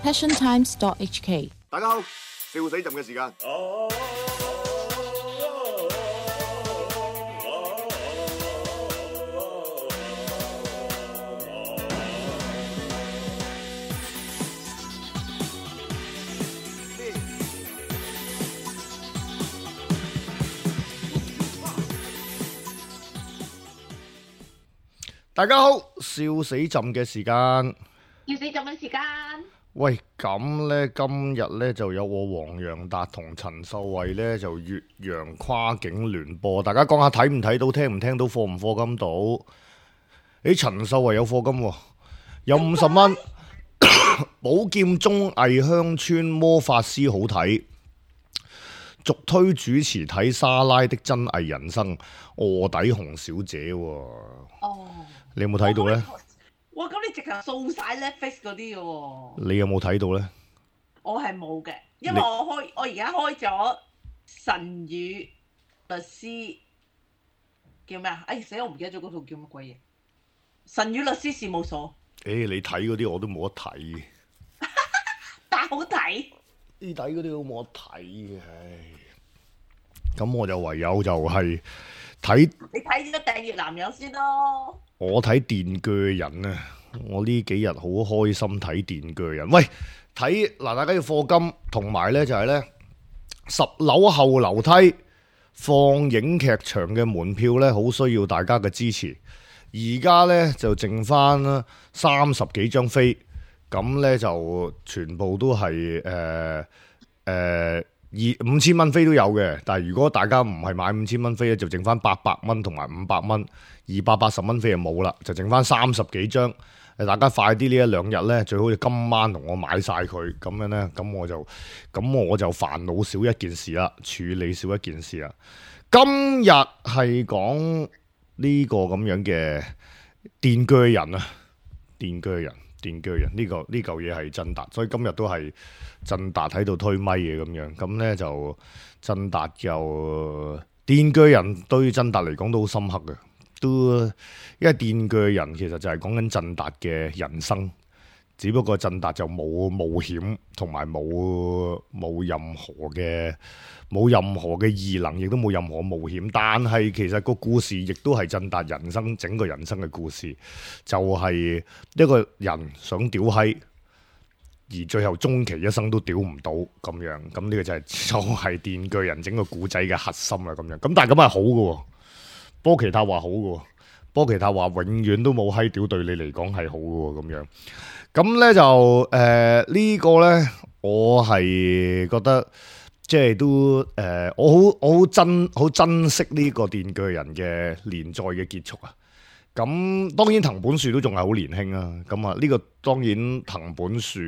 passiontimes.hk。大家好，笑死朕嘅時間。大家好，笑死朕嘅時間。要死咁嘅時間，喂，咁呢，今日呢就有我黃洋達同陳秀慧呢就越洋跨境聯播，大家講下睇唔睇到，聽唔聽到，課唔課金到？誒，陳秀慧有課金喎，有50蚊。寶劍綜藝鄉村魔法師好睇，續推主持睇莎拉的真偽人生，臥底紅小姐喎。哦，你有冇睇到呢？哇！咁你直頭掃晒 Netflix 嗰啲嘅喎。你有冇睇到呢？我係冇嘅，因為我而家開咗神與律師叫咩啊？哎死！我唔記得咗嗰套叫乜鬼嘢。神與律師事務所。你睇嗰啲我都冇得睇。但好睇。你睇嗰啲都冇得睇嘅，唉。咁我就唯有就係睇。你睇咗訂閱男友先咯。我睇電鋸人啊！我呢幾日好開心睇電鋸人。喂，睇嗱，大家要課金，同埋呢就係呢10樓後樓梯放映劇場嘅門票呢，好需要大家嘅支持。而家呢就剩翻30幾張飛，咁呢就全部都係5000蚊飛都有嘅，但係如果大家唔係買5000蚊飛咧，就剩翻800蚊同埋500蚊，280蚊飛就冇啦，就剩翻30幾張。大家快啲呢一兩日呢，最好今晚同我買晒佢，咁樣呢，咁我就煩惱少一件事啦，處理少一件事啦。今日係講呢個咁樣嘅電鋸人啊，電鋸人呢嚿嘢係振達，所以今日都係振達喺度推咪嘅咁樣，咁呢就振達又電鋸人對振達嚟講都好深刻嘅，都因為電鋸人其實就係講緊振達嘅人生，只不過振達就冇冒險同埋冇任何嘅異能，亦都冇任何冒險，但係其實個故事亦都係振達人生整個人生嘅故事，就係一個人想屌閪，而最後終其一生都屌唔到咁樣，咁呢個就係電鋸人整個故仔嘅核心啦咁樣。咁但係咁係好嘅，波奇塔話好嘅，波奇塔話永遠都冇閪屌對你嚟講係好嘅咁樣。咁呢就呢個呢，我係覺得。即係都我好珍惜呢個電鋸人嘅連載嘅結束啊！咁當然藤本樹都仲係好年輕啊！咁啊呢個當然藤本樹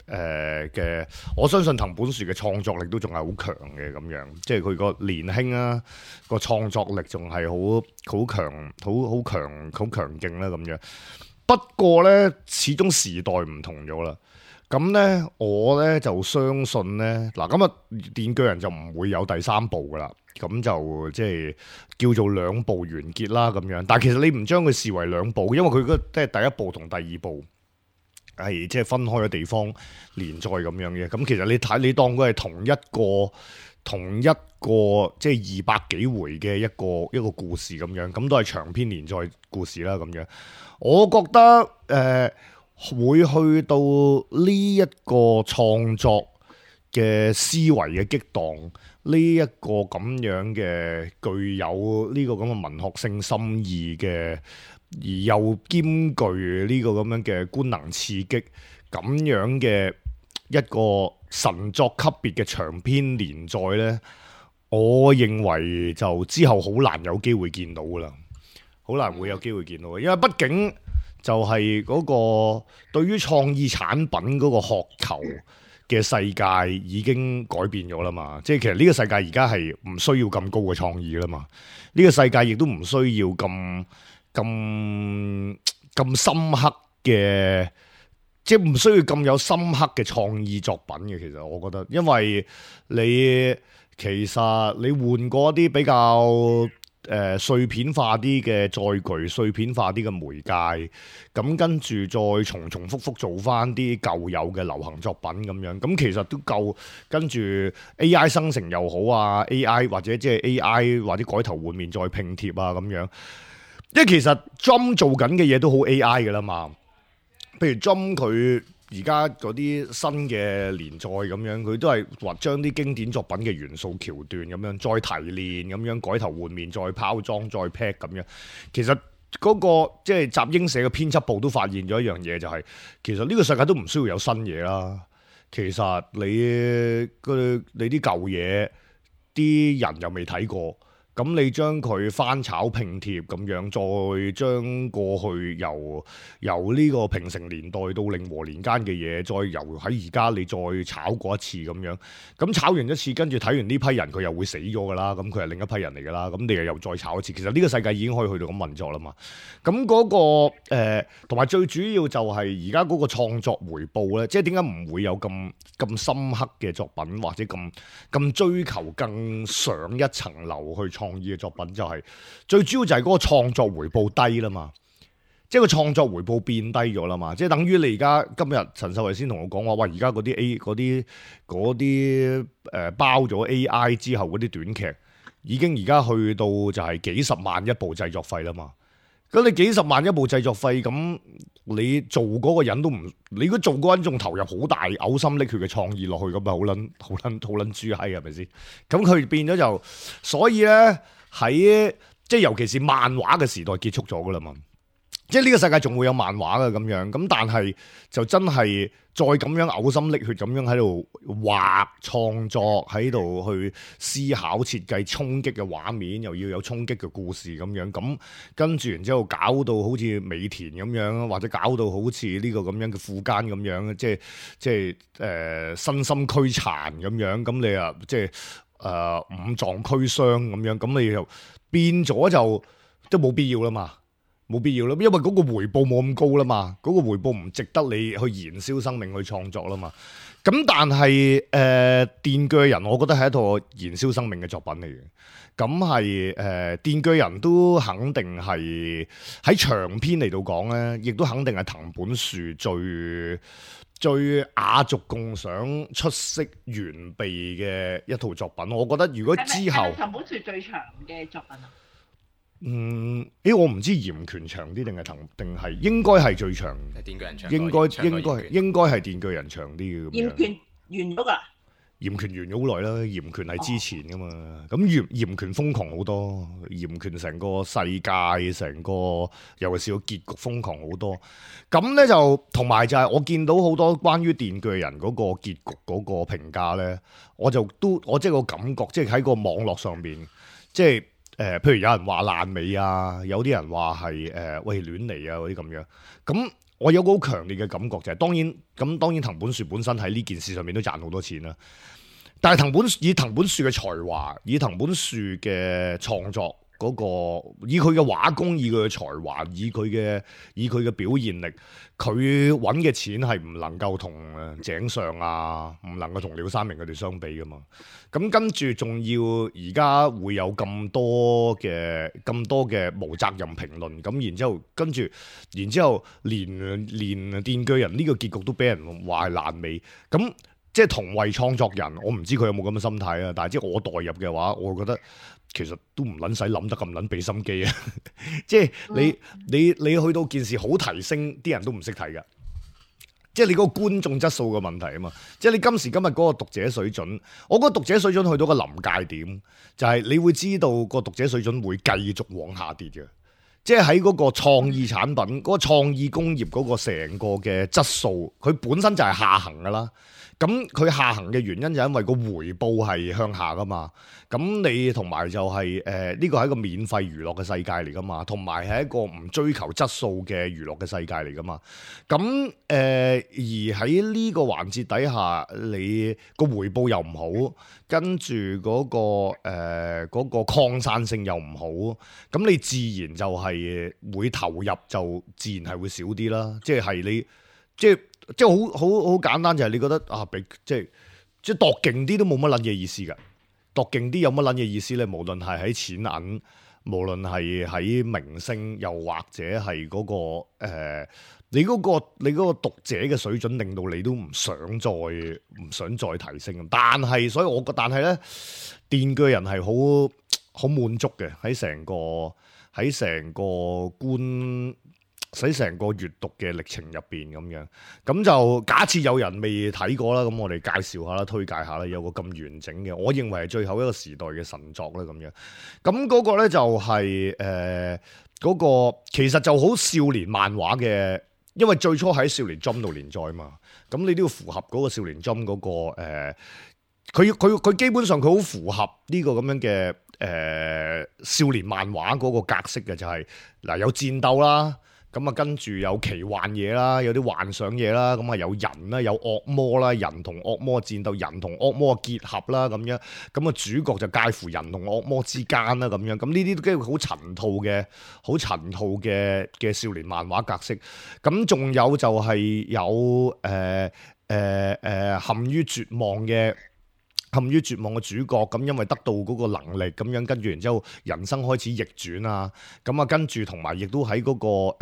嘅，我相信藤本樹嘅創作力都仲係好強嘅咁樣，即係佢個年輕啊個創作力仲係好強勁啦咁樣。不過呢，始終時代唔同咗啦。咁呢，我呢就相信呢，嗱，咁啊，電鋸人就唔會有第3部噶啦，咁就即係叫做2部完結啦咁樣。但係其實你唔將佢視為2部，因為佢即係第1部同第2部係即係分開嘅地方連載咁樣嘅。咁其實你當佢係同一個即係200幾回嘅一個故事咁樣，咁都係長篇連載故事啦咁樣。我覺得會去到呢一個創作嘅思維嘅激盪，呢一個咁樣嘅具有呢個咁嘅文學性深意嘅，而又兼具呢個咁樣嘅官能刺激咁樣嘅一個神作級別嘅長篇連載呢，我認為就之後好難有機會見到噶啦，好難會有機會見到嘅，因為畢竟就係嗰個對於創意產品嗰個渴求嘅世界已經改變咗啦嘛，即係其實呢個世界而家係唔需要咁高嘅創意啦嘛，呢個世界亦都唔需要咁深刻嘅，即係唔需要咁有深刻嘅創意作品嘅。其實我覺得，因為其實你換過一啲比較碎片化啲嘅載具，碎片化啲嘅媒介，咁跟住再重重複複做翻啲舊有嘅流行作品咁樣，咁其實都夠。跟住 AI 生成又好啊 ，AI 或者即係 AI 或者改頭換面再拼貼啊咁樣，因為其實 Jump 做緊嘅嘢都好 AI 㗎啦嘛。譬如 Jump 佢而家嗰啲新嘅連載咁樣，佢都係話將啲經典作品嘅元素橋段咁樣再提煉咁樣改頭換面再包裝再 pack 咁樣。其實嗰個即係集英社嘅編輯部都發現咗一樣嘢，就係其實呢個世界都唔需要有新嘢啦。其實你啲舊嘢啲人又未睇過。咁你將佢翻炒拼貼咁樣，再將過去由呢個平成年代到令和年間嘅嘢，再由喺而家你再炒過一次咁樣。咁炒完一次，跟住睇完呢批人佢又會死咗㗎啦。咁佢係另一批人嚟㗎啦。咁你又再炒一次。其實呢個世界已經可以去到咁運作啦嘛。咁嗰個同埋最主要就係而家嗰個創作回報咧，即係點解唔會有咁深刻嘅作品，或者咁追求更上一層樓去創意嘅作品，就係最主要就係嗰個創作回報低啦嘛，即係個創作回報變低咗啦嘛，即係等於你而家今日陳秀慧先同我講話，喂，而家嗰啲包咗 AI 之後嗰啲短劇，已經而家去到就係幾十萬一部製作費啦嘛。咁你幾十萬一部製作費，咁你做嗰個人都唔，你如果做嗰個人仲投入好大嘔心瀝血嘅創意落去，咁咪好撚豬閪係咪先？咁佢變咗就，所以咧喺即係尤其是漫畫嘅時代結束咗噶啦嘛。即係呢個世界仲會有漫畫嘅咁樣，咁但係就真係再咁樣嘔心瀝血咁樣喺度畫創作，喺度去思考設計衝擊嘅畫面，又要有衝擊嘅故事咁樣，咁跟住然之後搞到好似美田咁樣，或者搞到好似呢個咁樣嘅富奸咁樣，即係身心俱殘咁樣，咁你啊即係五臟俱傷咁樣，咁你又變咗就都冇必要啦嘛。冇必要啦，因為嗰個回報冇咁高啦嘛，嗰個回報唔值得你去燃燒生命去創作啦嘛。咁但係電鋸人，我覺得係一套燃燒生命嘅作品嚟嘅。咁係電鋸人都肯定係喺長篇嚟到講咧，亦都肯定係藤本樹最雅俗共賞、出色完備嘅一套作品。我覺得如果之後係咪藤本樹最長嘅作品啊？我唔知嚴權長啲定係應該係最長。電鋸人長，應該係電鋸人長啲嘅咁樣。嚴權完咗㗎啦。嚴權完咗好耐啦，嚴權係之前㗎嘛。咁嚴權瘋狂好多，嚴權成個世界成個，尤其是個結局瘋狂好多。咁咧就同埋就係我見到好多關於電鋸人嗰個結局嗰個評價咧，我即係個感覺，即係喺個網絡上邊，即係。譬如有人話爛尾啊，有啲人話係喂亂嚟啊嗰啲咁樣，咁我有個好強烈嘅感覺就係、是，當然藤本樹本身喺呢件事上面都賺好多錢啦，但係以藤本樹嘅才華，以藤本樹嘅創作嗰個，以佢嘅畫工，以佢嘅才華，以佢嘅表現力，佢揾嘅錢係唔能夠同井上啊，唔能夠同鳥山明佢哋相比噶嘛。咁跟住仲要而家會有咁多嘅無責任評論，咁然之後連電鋸人呢個結局都俾人話係爛尾，咁即係同為創作人，我唔知佢有冇咁嘅心態啊。但係即係我代入嘅話，我覺得其實都唔撚使諗得咁撚俾心機啊！即係你去到件事好提升，啲人都唔識睇㗎。即係你嗰個觀眾質素嘅問題啊嘛，即係你今時今日嗰個讀者水準，我覺得讀者水準去到個臨界點，就係你會知道個讀者水準會繼續往下跌嘅。即係喺嗰個創意產品、嗰個創意工業嗰個成個嘅質素，佢本身就係下行㗎啦。咁佢下行嘅原因就係因為個回報係向下噶嘛，咁你同埋就係呢個係一個免費娛樂嘅世界嚟噶嘛，同埋係一個唔追求質素嘅娛樂嘅世界嚟噶嘛，咁而喺呢個環節底下，你個回報又唔好，跟住嗰個擴散性又唔好，咁你自然就係會投入就自然係會少啲啦，即係你即係好簡單，就係你覺得啊，即係度勁啲都冇乜撚嘢意思㗎，度勁啲有乜撚嘢意思咧？無論係喺錢銀無論係喺明星，又或者係嗰、你嗰個讀者嘅水準，令到你都唔想再提升。但係，所以我覺，但係咧，電鋸人係好滿足嘅喺成個閱讀嘅歷程入邊咁樣。咁就假設有人未睇過啦，咁我哋介紹下啦，推介下啦，有個咁完整嘅，我認為係最後一個時代嘅神作啦咁樣。咁嗰個咧就係嗰個其實就好少年漫畫嘅。因為最初喺少年 Jump 度連載嘛，咁你都要符合嗰個少年 Jump 嗰個佢基本上佢好符合呢個咁樣嘅少年漫畫嗰個格式嘅，就係嗱有戰鬥啦。咁啊，跟住有奇幻嘢啦，有啲幻想嘢啦，咁啊有人啦，有惡魔啦，人同惡魔戰鬥，人同惡魔嘅結合啦，咁樣，咁啊主角就介乎人同惡魔之間啦，咁樣，咁呢啲都幾好陳套嘅少年漫畫格式。咁仲有就係有陷於絕望嘅主角，咁因為得到嗰個能力，咁樣跟住然之後人生開始逆轉啊，咁啊跟住同埋亦都喺嗰個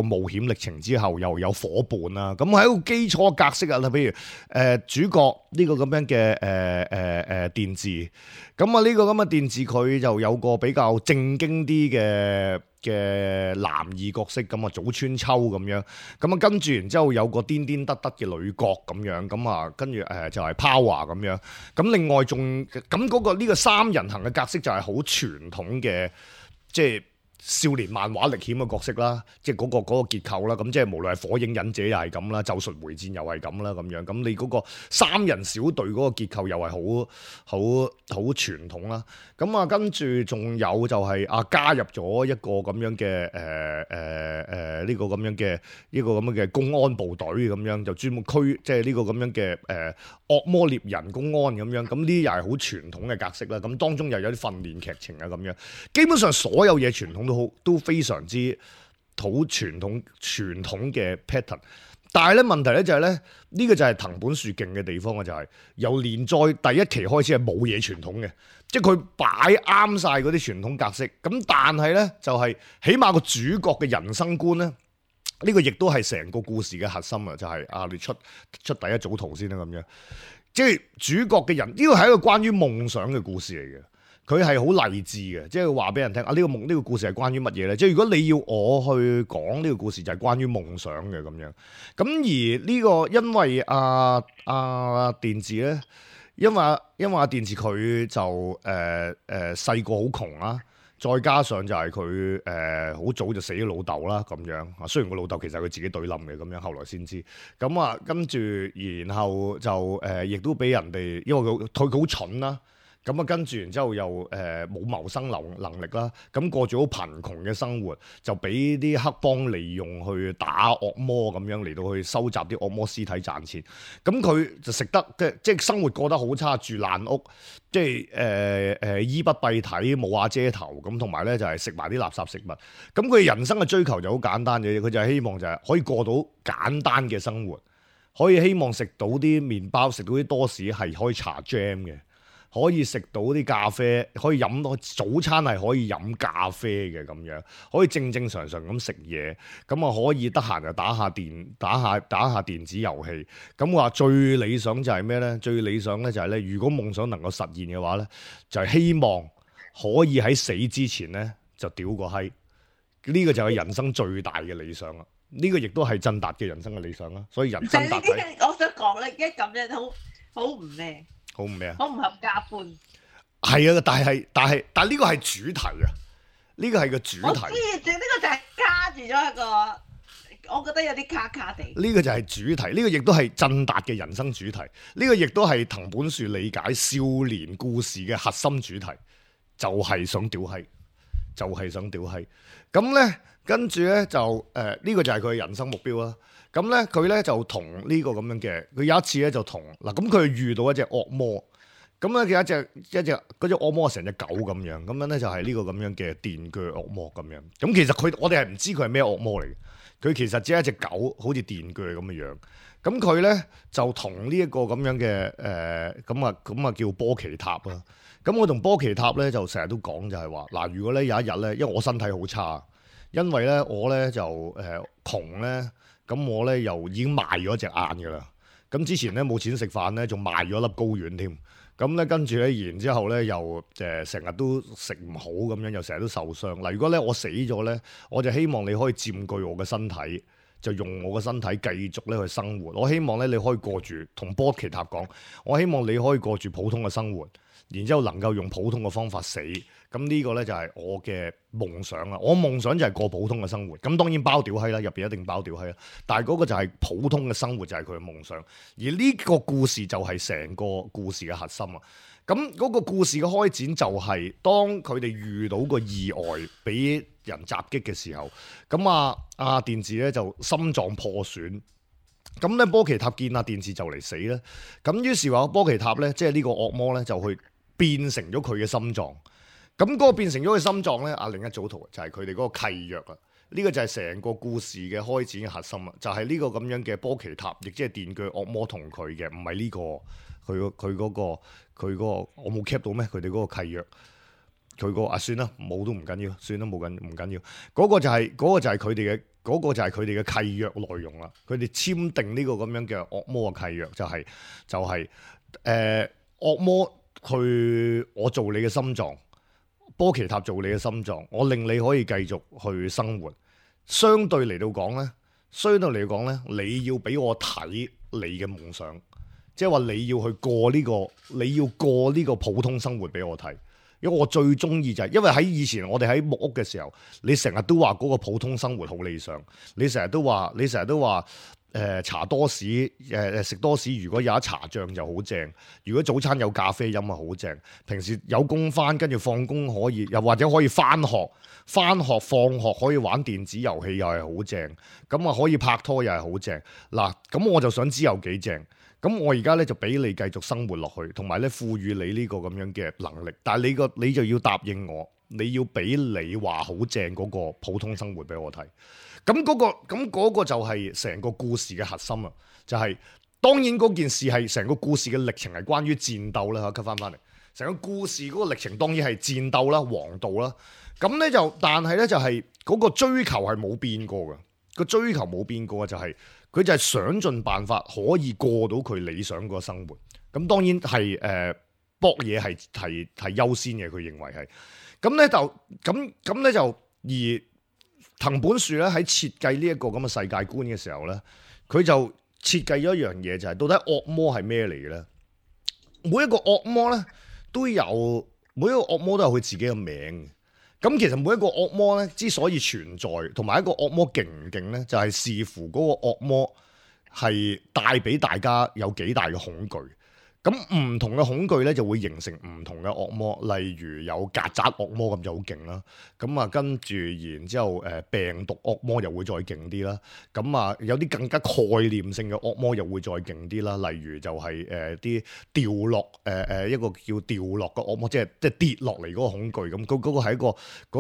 冒險歷程之後又有伙伴啊，咁喺一個基礎格式啊，譬如主角呢個咁樣嘅電治，咁啊呢個咁嘅電治佢就有個比較正經啲嘅男二角色，咁啊早川秋咁樣，咁啊跟住然之後有個癲癲得得嘅女角咁樣，咁啊跟住就係 Power 咁樣，咁另外仲咁嗰個呢個三人行嘅格式就係好傳統嘅，即係少年漫畫歷險嘅角色啦，即係嗰個結構啦，咁即係無論係火影忍者又係咁啦，咒術回戰又係咁啦咁樣，咁你嗰個三人小隊嗰個結構又係好傳統啦，咁啊跟住仲有就係加入咗一個咁樣嘅呢個咁樣嘅公安部隊咁樣，就專門即係呢個咁樣嘅惡魔獵人公安咁樣，咁呢啲又係好傳統嘅格式啦，咁當中又有啲訓練劇情啊咁樣，基本上所有嘢傳統都非常之好傳統嘅 pattern， 但係咧問題咧就係咧呢個就係藤本樹勁嘅地方啊，就係由連載第一期開始係冇嘢傳統嘅，即係佢擺啱晒嗰啲傳統格式，咁但係咧就係起碼個主角嘅人生觀咧，呢個亦都係成個故事嘅核心啊，就係你出第一組圖先啦咁樣，即係主角嘅人呢個係一個關於夢想嘅故事嚟嘅。佢係好勵志嘅，即係話俾人聽呢個故事係關於乜嘢咧？即係如果你要我去講呢個故事，就係關於夢想嘅咁樣。咁而呢個因為電治咧，因為阿電治佢就細個好窮啦，再加上就係佢好早就死咗老豆啦咁樣。雖然個老豆其實佢自己對冧嘅咁樣，後來先知。咁啊跟住然後就亦都俾人哋，因為佢好蠢啦。咁啊，跟住然之後又冇謀生能力啦，咁過住好貧窮嘅生活，就俾啲黑幫利用去打惡魔咁樣嚟到去收集啲惡魔屍體賺錢。咁佢就食得即係生活過得好差，住爛屋，即係衣不蔽體，冇瓦遮頭咁，同埋咧就係食埋啲垃圾食物。咁佢人生嘅追求就好簡單嘅，佢就係希望就係可以過到簡單嘅生活，可以希望食到啲麵包，食到啲多士係可以搽 jam 嘅。可以食到啲咖啡，可以飲到早餐係可以飲咖啡嘅咁樣，可以正正常常咁食嘢，咁啊可以得閒就打下電子遊戲。咁話最理想就係咩咧？最理想咧就係咧，如果夢想能夠實現嘅話咧，就係希望可以喺死之前咧就屌個閪。呢個就係人生最大嘅理想啦。呢個亦都係振達嘅人生嘅理想啦。所以人生達我想講咧，一咁樣好唔咩？好唔咩啊？好唔合家歡。係啊，但係呢個係主題啊，呢個係個主題。我知，呢個就係卡住咗一個，我覺得有啲卡卡地。呢個就係主題，呢個亦都係振達嘅人生主題，呢個亦都係藤本樹理解少年故事嘅核心主題，就係想屌閪，就係想屌閪。咁咧，跟住咧就呢個就係佢嘅人生目標啦。咁咧，佢咧就同呢個咁樣嘅，佢有一次咧就同嗱，咁佢遇到一隻惡魔，咁咧有一隻嗰隻惡魔成隻狗咁樣，咁樣咧就係呢個咁樣嘅電鋸惡魔咁樣。咁其實我哋係唔知佢係咩惡魔嚟嘅，佢其實只係一隻狗，好似電鋸咁嘅樣。咁佢咧就同呢一個咁樣嘅咁啊叫波奇塔啦。咁我同波奇塔咧就成日都講就係話嗱，如果咧有一日咧，因為我身體好差，因為咧我咧就窮咧，咁我咧又已經賣咗隻眼㗎啦。咁之前咧冇錢食飯咧，仲賣咗粒睾丸添。咁咧跟住咧，然之後咧又成日都食唔好咁樣，又成日都受傷。嗱，如果咧我死咗咧，我就希望你可以佔據我嘅身體，就用我嘅身體繼續咧去生活。我希望咧你可以過住同波奇塔講，我希望你可以過住普通嘅生活，然之後能夠用普通嘅方法死。咁呢個咧就係我嘅夢想啦。我夢想就係過普通嘅生活。咁當然包屌閪啦，入邊一定包屌閪啦。但係嗰個就係普通嘅生活，就係佢嘅夢想。而呢個故事就係成個故事嘅核心啊。咁嗰個故事嘅開展就係當佢哋遇到個意外，俾人襲擊嘅時候，咁阿電治咧就心臟破損。咁咧波奇塔見阿電治就嚟死咧，咁於是話波奇塔咧，即係呢個惡魔咧就去變成咗佢嘅心臟。咁嗰個變成咗佢心臟咧，另一組圖就係佢哋嗰個契約啊！呢個就係成個故事嘅開展嘅核心啊！就係呢個咁樣嘅波奇塔，亦即係電鋸惡魔同佢嘅，唔係呢個佢嗰個我冇 cap 到咩？佢哋嗰個契約，佢個算啦，冇都唔緊要，算啦冇緊唔緊要。嗰個就係佢哋嘅嗰個就係佢哋嘅契約內容啦。佢哋簽訂呢個咁樣嘅惡魔嘅契約，就係惡魔去我做你嘅心臟。波奇塔做你嘅心臟，我令你可以繼續去生活。相對嚟講咧，你要俾我睇你嘅夢想，即係話你要去過呢個普通生活俾我睇。因為我最中意就係，因為喺以前我哋喺木屋嘅時候，你成日都話嗰個普通生活好理想，你成日都話。茶多士食多士，如果有一茶醬就好正。如果早餐有咖啡飲啊，好正。平時有工返，跟住放工可以，又或者可以返學放學可以玩電子遊戲又係好正。咁啊可以拍拖又係好正。嗱，咁我就想知有幾正。咁我而家咧就俾你繼續生活落去，同埋咧賦予你呢個咁樣嘅能力。但係你就要答應我，你要俾你話好正嗰個普通生活俾我睇。咁嗰個就係成個故事嘅核心啊！就係當然嗰件事係成個故事嘅歷程係關於戰鬥啦，吸翻嚟。成個故事嗰個歷程當然係戰鬥啦、王道啦。咁咧但係咧就係嗰個追求係冇變過嘅。個追求冇變過嘅就係佢就係想盡辦法可以過到佢理想個生活。咁當然係搏嘢係優先嘅，佢認為係。咁咧就而。藤本樹咧喺設計呢一個咁嘅世界觀嘅時候咧，佢就設計咗一樣嘢，就係到底惡魔係咩嚟嘅咧？每一個惡魔咧都有佢自己嘅名。咁其實每一個惡魔咧之所以存在，同埋一個惡魔勁唔勁咧，就係視乎嗰個惡魔係帶俾大家有幾大嘅恐懼。咁唔同嘅恐懼咧，就會形成唔同嘅惡魔。例如有曱甴惡魔咁就好勁啦。咁啊，跟住然之後病毒惡魔又會再勁啲啦。咁啊，有啲更加概念性嘅惡魔又會再勁啲啦。例如就係啲掉落一個叫掉落嘅惡魔，即係跌落嚟嗰個恐懼咁。嗰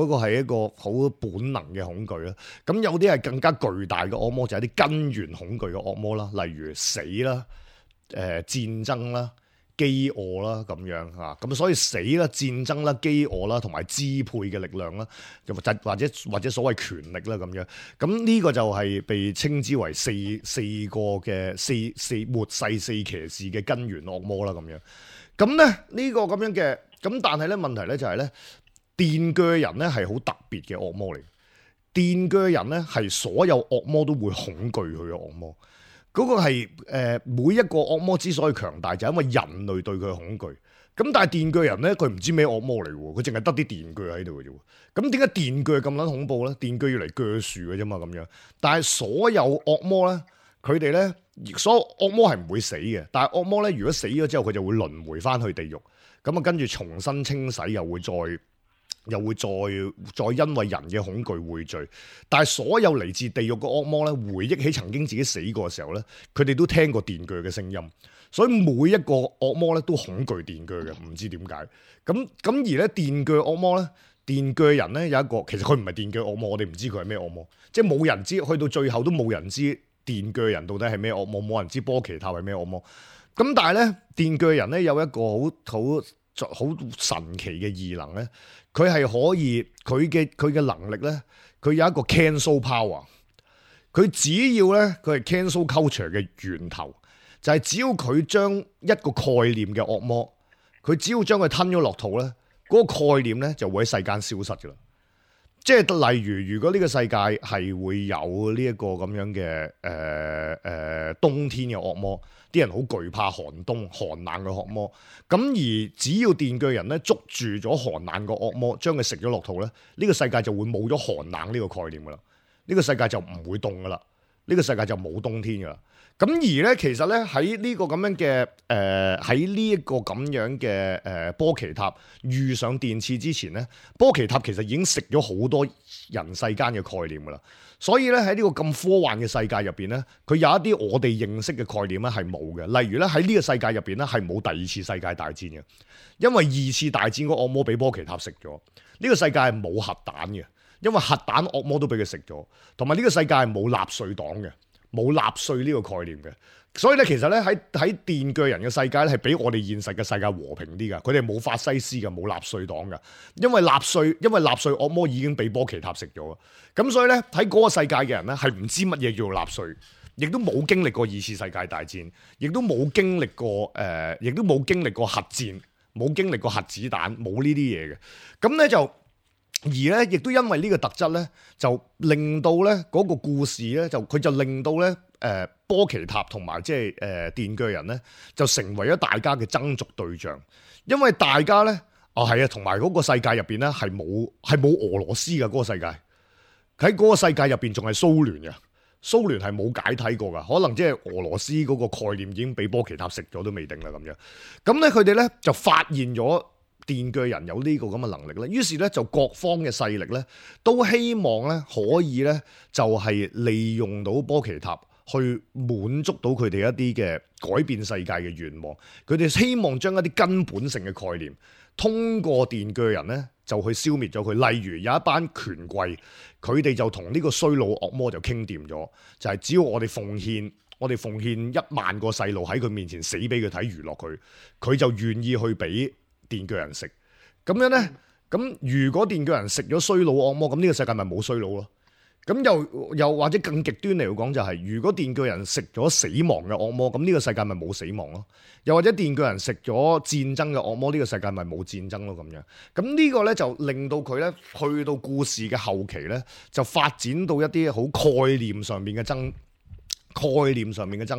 個係一個好本能嘅恐懼啦。咁有啲係更加巨大嘅惡魔，就係啲根源恐懼嘅惡魔啦。例如死啦。戰爭啦、飢餓啦咁樣嚇，咁所以死啦、戰爭啦、飢餓啦，同埋支配嘅力量啦，或者所謂權力啦咁樣，咁呢個就係被稱之為四個嘅四末世四騎士嘅根源惡魔啦咁樣。咁咧呢個咁樣嘅，咁但係咧問題咧就係咧，電鋸人咧係好特別嘅惡魔嚟，電鋸人咧係所有惡魔都會恐懼佢嘅惡魔。嗰個係每一個惡魔之所以強大，就係因為人類對佢嘅恐懼。咁但係電鋸人咧，佢唔知咩惡魔嚟喎，佢淨係得啲電鋸喺度嘅啫。咁點解電鋸咁撚恐怖咧？電鋸要嚟鋸樹嘅啫嘛，咁樣。但係所有惡魔咧，佢哋咧，所有惡魔係唔會死嘅。但係惡魔咧，如果死咗之後，佢就會輪迴翻去地獄。咁啊，跟住重新清洗，又會再因為人嘅恐懼匯聚，但係所有嚟自地獄嘅惡魔咧，回憶起曾經自己死過嘅時候咧，佢哋都聽過電鋸嘅聲音，所以每一個惡魔咧都恐懼電鋸嘅，唔知點解。咁而咧電鋸惡魔咧，電鋸人咧有一個，其實佢唔係電鋸惡魔，我哋唔知佢係咩惡魔，即係冇人知，去到最後都冇人知電鋸人到底係咩惡魔，冇人知波奇塔係咩惡魔。咁但係咧電鋸人咧有一個好好神奇嘅異能咧，佢係可以佢嘅能力咧，佢有一個 cancel power。佢只要咧，佢係 cancel culture 嘅源頭，就係只要佢將一個概念嘅惡魔，佢只要將佢吞咗落肚咧，嗰個概念咧就會喺世間消失噶啦。即係例如，如果呢個世界係會有呢一個咁樣嘅冬天嘅惡魔，啲人好懼怕寒冬寒冷嘅惡魔。咁而只要電鋸人咧捉住咗寒冷個惡魔，將佢食咗落肚咧，呢個世界就會冇咗寒冷呢個概念噶啦。呢個世界就唔會凍噶啦，呢個世界就冇冬天噶啦。咁而咧，其實咧喺呢個咁樣嘅喺呢一個咁樣嘅波奇塔遇上電刺之前咧，波奇塔其實已經食咗好多人世間嘅概念噶啦。所以咧喺呢個咁科幻嘅世界入邊咧，佢有一啲我哋認識嘅概念咧係冇嘅。例如咧喺呢個世界入邊咧係冇第二次世界大戰嘅，因為二次大戰個惡魔俾波奇塔食咗。呢個世界係冇核彈嘅，因為核彈惡魔都俾佢食咗。同埋呢個世界係冇納粹黨嘅。冇納粹呢個概念嘅，所以咧其實咧喺電鋸人嘅世界咧係比我哋現實嘅世界和平啲噶，佢哋冇法西斯嘅，冇納粹黨噶，因為納粹惡魔已經俾波奇塔食咗，咁所以咧喺嗰個世界嘅人咧係唔知乜嘢叫做納粹，亦都冇經歷過二次世界大戰，亦都冇經歷過核戰，冇經歷過核子彈，冇呢啲嘢嘅，咁咧就。而咧，亦都因為呢個特質咧，就令到咧嗰個故事咧，佢就令到咧波奇塔同埋即係電鋸人咧，就成為咗大家嘅爭逐對象。因為大家咧，係啊，同埋嗰個世界入邊咧係冇俄羅斯嘅嗰個世界，喺嗰個世界入邊仲係蘇聯嘅，蘇聯係冇解體過噶，可能即係俄羅斯嗰個概念已經俾波奇塔食咗都未定啦咁樣。咁咧佢哋咧就發現咗。電鋸人有呢個咁嘅能力咧，於是咧就各方嘅勢力咧都希望咧可以咧就係利用到波奇塔去滿足到佢哋一啲嘅改變世界嘅願望。佢哋希望將一啲根本性嘅概念通過電鋸人咧就去消滅咗佢。例如有一班權貴，佢哋就同呢個衰老惡魔就傾掂咗，就係只要我哋奉獻1萬個細路喺佢面前死俾佢睇娛樂佢就願意去俾電鋸人食。咁樣咧，咁如果電鋸人食咗衰老惡魔，咁呢個世界咪冇衰老咯？咁又或者更極端嚟講就係，如果電鋸人食咗死亡嘅惡魔，咁呢個世界咪冇死亡咯？又或者電鋸人食咗戰爭嘅惡魔，呢個世界咪冇戰爭咯？咁樣，咁呢個咧就令到佢咧去到故事嘅後期咧，就發展到一啲好概念上面嘅爭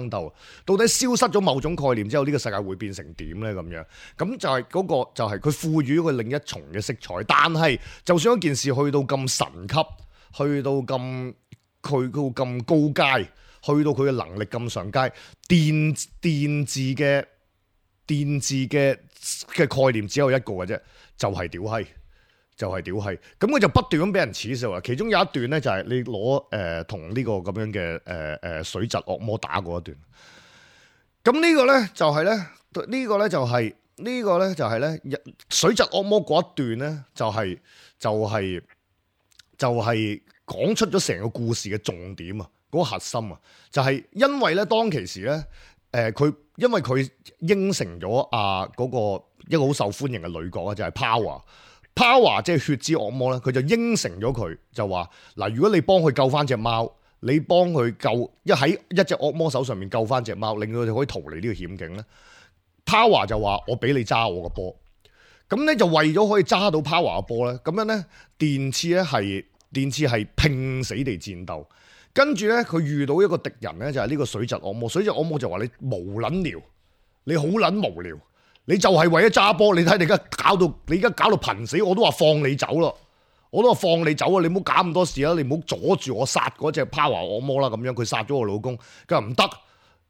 鬥，到底消失咗某種概念之後，呢個世界會變成點呢？咁樣，咁就係嗰個就係佢賦予咗佢另一重嘅色彩。但係就算一件事去到咁神級，去到咁高階，去到佢嘅能力咁上階，電字嘅概念只有一個嘅啫，就係屌閪。咁佢就不斷咁俾人恥笑啊！其中有一段咧就係你攞同呢個咁樣嘅水蛭惡魔打過一段。咁呢個咧就係咧水蛭惡魔嗰一段咧就係講出咗成個故事嘅重點啊！嗰個核心啊，就係因為咧當其時咧因為佢應承咗嗰個一個好受歡迎嘅女角啊，就係 Power 即係血之惡魔咧，佢就應承咗佢，就話嗱，如果你幫佢救翻隻貓，你幫佢喺一隻惡魔手上面救翻隻貓，令到佢哋可以逃離呢個險境咧。Power 就話我俾你揸我個波，咁咧就為咗可以揸到 Power 個波咧，咁樣咧電刺係拼死地戰鬥，跟住咧佢遇到一個敵人咧就係呢個水蛭惡魔，水蛭惡魔就話你無撚聊，你好撚無聊。你就係為咗揸波，你睇你而家搞到瀕死，我都話放你走咯，你唔好搞咁多事啦，你唔好阻住我殺嗰隻 Power 惡魔啦，咁樣佢殺咗我老公，佢話唔得，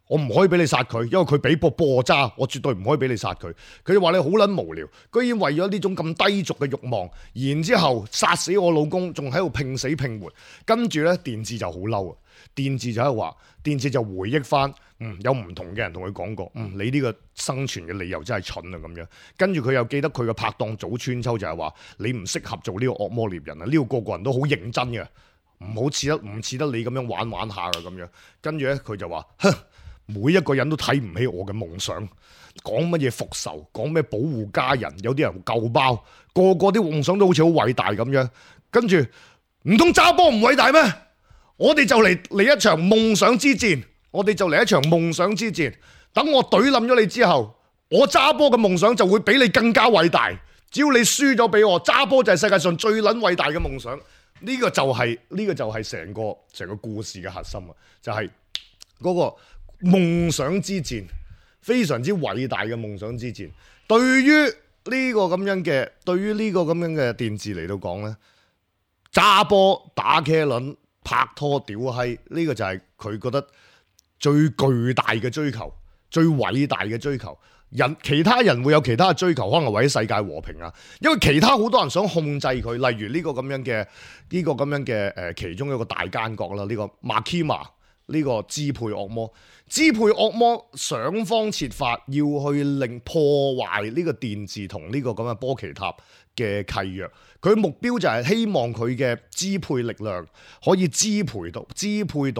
我唔可以俾你殺佢，因為佢俾波我揸，我絕對唔可以俾你殺佢。佢就話你好撚無聊，居然為咗呢種咁低俗嘅慾望，然之後殺死我老公，仲喺度拼死拼活，跟住咧電智就好嬲啊！電智就喺度話，電智就回憶翻，有唔同嘅人同佢講過，你呢個生存嘅理由真係蠢啊咁樣。跟住佢又記得佢嘅拍檔早川秋就係話，你唔適合做呢個惡魔獵人啊，呢個個人都好認真嘅，唔似得你咁樣玩下噶咁樣。跟住咧佢就話，每一個人都睇唔起我嘅夢想，講乜嘢復仇，講咩保護家人，有啲人舊包，個個啲夢想都好似好偉大咁樣，跟住唔通揸波唔偉大咩？我哋就嚟一場夢想之戰，等我懟冧咗你之後，我揸波嘅夢想就會比你更加偉大。只要你輸咗俾我，揸波就係世界上最撚偉大嘅夢想。呢個就係成個故事嘅核心啊！就係嗰個夢想之戰，非常之偉大嘅夢想之戰。對於呢個咁樣嘅電視嚟到講呢，揸波打茄輪拍拖屌閪，呢個就係佢覺得最巨大嘅追求，最偉大嘅追求。其他人會有其他嘅追求，可能為咗世界和平啊，因為其他好多人想控制佢，例如呢個咁樣嘅其中一個大奸角啦，呢個馬基瑪，呢個支配惡魔想方設法要去令破壞呢個電視同呢個咁嘅波奇塔嘅契約，佢目標就係希望佢嘅支配力量可以支配到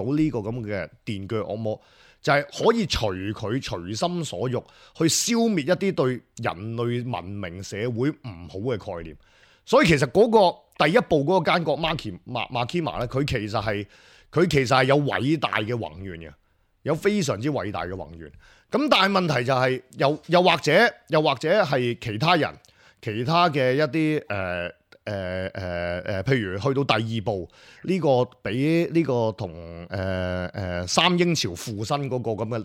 呢個咁嘅電鋸惡魔。就係可以隨佢隨心所欲去消滅一啲對人類文明社會唔好嘅概念，所以其實嗰個第一部嗰個奸角馬基瑪咧，佢其實係有偉大嘅宏願嘅，有非常之偉大嘅宏願。咁但係問題就係又或者係其他人其他嘅一啲譬如去到第二部呢個比呢個同三英朝附身嗰個咁嘅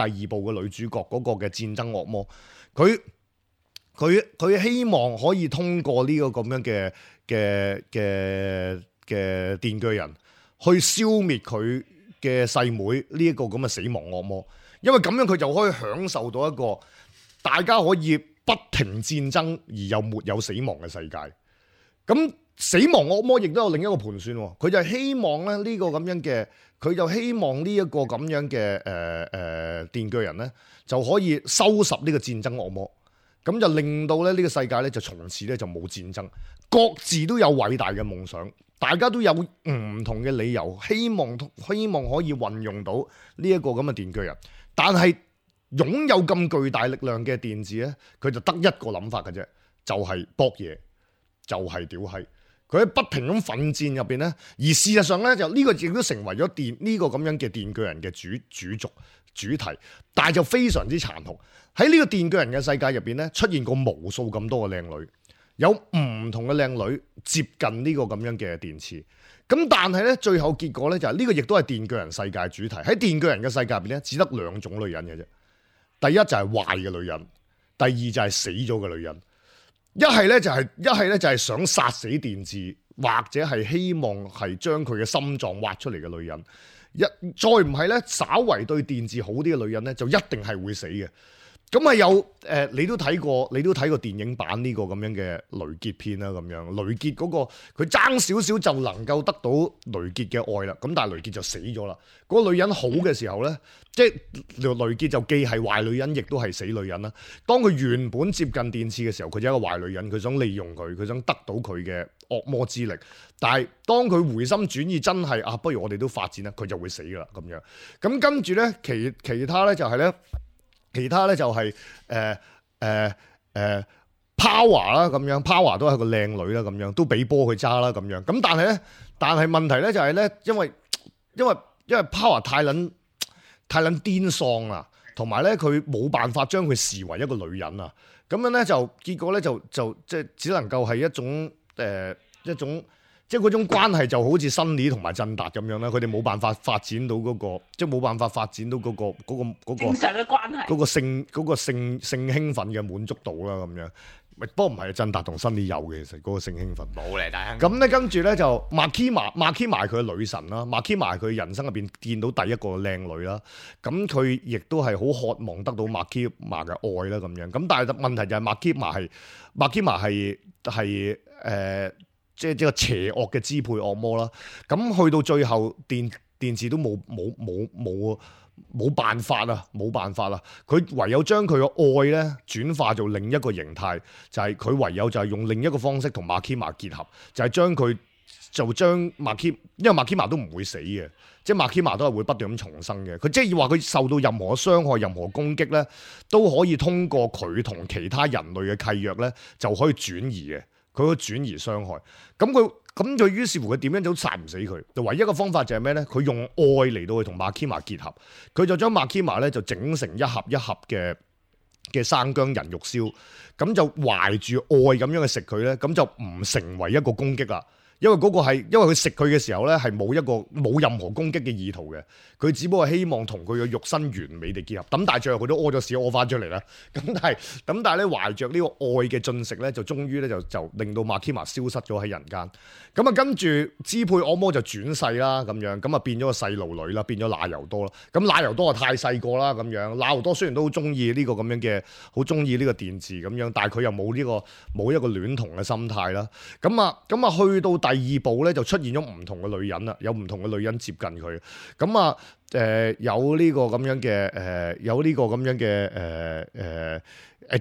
第二部嘅女主角嗰個嘅戰爭惡魔，佢希望可以通過呢個咁樣嘅電鋸人去消滅佢嘅細妹呢一個咁嘅死亡惡魔，因為咁樣佢就可以享受到一個大家可以不停戰爭而又沒有死亡嘅世界。咁死亡惡魔亦都有另一個盤算，佢就希望咧呢個咁樣嘅，佢就希望呢一個咁樣嘅電鋸人咧就可以收拾呢個戰爭惡魔，咁就令到咧呢個世界咧就從此咧就冇戰爭，各自都有偉大嘅夢想，大家都有唔同嘅理由，希望可以運用到呢一個咁嘅電鋸人，但係擁有咁巨大力量嘅電視咧，佢就得一個諗法嘅啫，就係搏嘢。就係屌閪，佢喺不停咁奮戰入邊咧，而事實上咧就呢個亦都成為咗呢個咁樣嘅電鋸人嘅主題，但係就非常之殘酷。喺呢個電鋸人嘅世界入邊咧，出現過無數咁多嘅靚女，有唔同嘅靚女接近呢個咁樣嘅電視。咁但係咧，最後結果咧就係呢個亦都係電鋸人世界主題。喺電鋸人嘅世界入邊咧，只得兩種女人嘅啫。第一就係壞嘅女人，第二就係死咗嘅女人。一係咧就係想殺死電視，或者係希望係將佢嘅心臟挖出嚟嘅女人。再唔係咧，稍為對電視好啲嘅女人咧，就一定係會死嘅。咁啊有你都睇過電影版呢個咁樣嘅雷傑片啦，咁樣雷傑嗰個佢爭少少就能夠得到雷傑嘅愛啦，咁但係雷傑就死咗啦。嗰個女人好嘅時候咧，即係雷傑就既係壞女人，亦都係死女人啦。當佢原本接近電視嘅時候，佢就係一個壞女人，佢想利用佢想得到佢嘅惡魔之力。但係當佢回心轉意，真係不如我哋都發展啦，佢就會死噶啦咁樣。咁跟住咧，其他咧就係咧。其他咧就係Power 啦，咁樣 Power 都係個靚女啦，咁樣都俾波佢揸啦，咁樣。咁但係問題咧就係咧，因為 Power 太撚癲喪啦，同埋咧佢冇辦法將佢視為一個女人啊。咁樣咧就結果咧就即係只能夠係一種即係嗰種關係就好似新李同埋振達咁樣啦，佢哋冇辦法發展到嗰個，即係冇辦法發展到嗰個正常嘅關係，嗰個性興奮嘅滿足度啦咁樣。不過唔係振達同新李有嘅，其實嗰個性興奮冇嚟，大咁咧跟住咧就馬基瑪佢嘅女神啦，馬基瑪佢人生入邊見到第一個靚女啦，咁佢亦都係好渴望得到馬基瑪嘅愛啦咁樣。咁但係問題就係馬基瑪係即係個邪惡嘅支配惡魔啦，咁去到最後電視都冇辦法啦，佢唯有將佢嘅愛咧轉化做另一個形態，就係佢唯有就係用另一個方式同馬基瑪結合，就係將佢就將麥基，因為麥基瑪都唔會死嘅，即係麥基瑪都係會不斷咁重生嘅。佢即係話佢受到任何傷害、任何攻擊咧，都可以通過佢同其他人類嘅契約咧，就可以轉移嘅。佢可以轉移傷害。咁佢於是乎佢點樣都殺唔死佢。就唯一嘅方法就係咩咧？佢用愛嚟到去同麥基瑪結合。佢就將麥基瑪咧就整成一盒一盒嘅生薑人肉燒，咁就懷住愛咁樣去食佢咧，咁就唔成為一個攻擊啦。因為嗰個係因為佢食佢嘅時候咧係冇任何攻擊嘅意圖嘅，佢只不過希望同佢嘅肉身完美地結合。咁但係最後佢都屙咗屎屙翻出嚟啦。咁但係咧懷着呢個愛嘅進食咧，就終於咧就令到麥基瑪消失咗喺人間。咁啊跟住支配惡魔就轉世啦，咁樣咁啊變咗個細路女啦，變咗那由多啦。咁那由多啊太細個啦，咁樣那由多雖然都好中意呢個咁樣嘅，好中意呢個電視咁樣，但係佢又冇一個戀童嘅心態啦。咁啊去到第二部咧就出現咗唔同嘅女人啦，有唔同嘅女人接近佢。咁啊有呢個咁樣嘅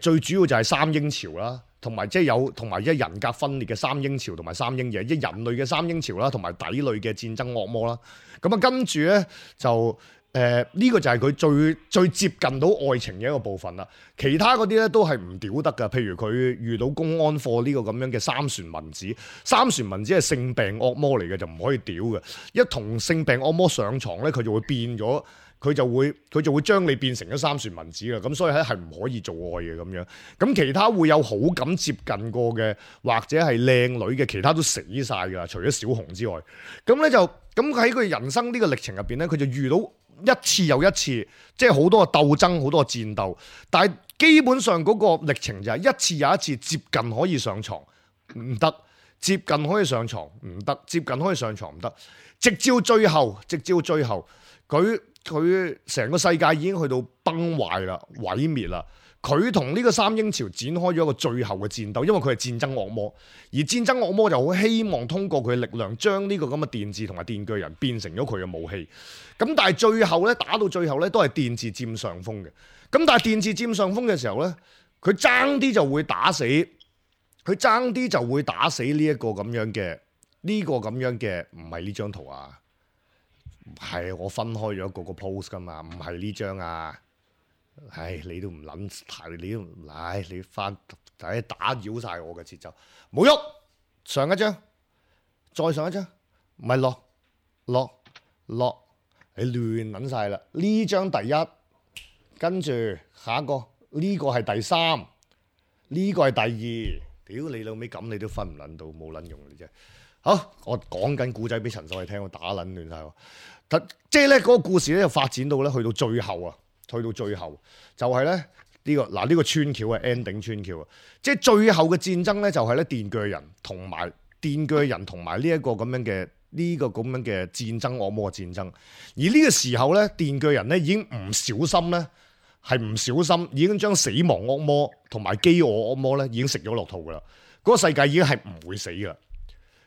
最主要就係三英朝啦。同埋即係同埋一人格分裂嘅三英朝同埋三英爺，即係人類嘅三英朝啦，同埋底類嘅戰爭惡魔啦。咁啊跟住咧就呢個就係佢最接近到愛情嘅一個部分啦。其他嗰啲咧都係唔屌得噶，譬如佢遇到公安課呢個咁樣嘅三船文子，三船文子係性病惡魔嚟嘅，就唔可以屌嘅。一同性病惡魔上床咧，佢就會變咗。佢就會將你變成咗三船文子啦，咁所以係唔可以做愛嘅咁樣。咁其他會有好感接近過嘅，或者係靚女嘅，其他都死晒㗎，除咗小紅之外。咁咧就咁喺佢人生呢個歷程入邊咧，佢就遇到一次又一次，即係好多嘅鬥爭，好多嘅戰鬥。但係基本上嗰個歷程就係一次又一次接近可以上床唔得，接近可以上床唔得，接近可以上床唔得，直至最後佢成個世界已經去到崩壞啦、毀滅啦。佢同呢個三英朝展開咗一個最後嘅戰鬥，因為佢係戰爭惡魔，而戰爭惡魔就好希望通過佢嘅力量將呢個咁嘅電治同埋電鋸人變成咗佢嘅武器。咁但係最後咧，打到最後咧都係電治佔上風嘅。咁但係電治佔上風嘅時候咧，佢爭啲就會打死呢一個咁樣嘅，唔係呢張圖啊。係我分開咗個 post 噶嘛，唔係呢張啊！唉，你都唔諗，你翻打擾晒我嘅節奏，冇喐！上一張，再上一張，唔係落，你亂諗晒啦！呢張第一，跟住下一個，呢個係第三，呢個係第二，屌你老味咁，你都分唔撚到，冇撚用嘅啫。好，我講緊古仔俾陳秀慧聽，我打撚亂晒喎。即係咧嗰個故事咧就發展到咧去到最後就係咧呢個穿橋係 ending 穿橋啊！即係最後嘅戰爭咧就係咧電鋸人同埋呢一個咁樣嘅戰爭惡魔嘅戰爭。而呢個時候咧電鋸人咧已經唔小心已經將死亡惡魔同埋飢餓惡魔咧已經食咗落肚噶啦。嗰個世界已經係唔會死噶啦。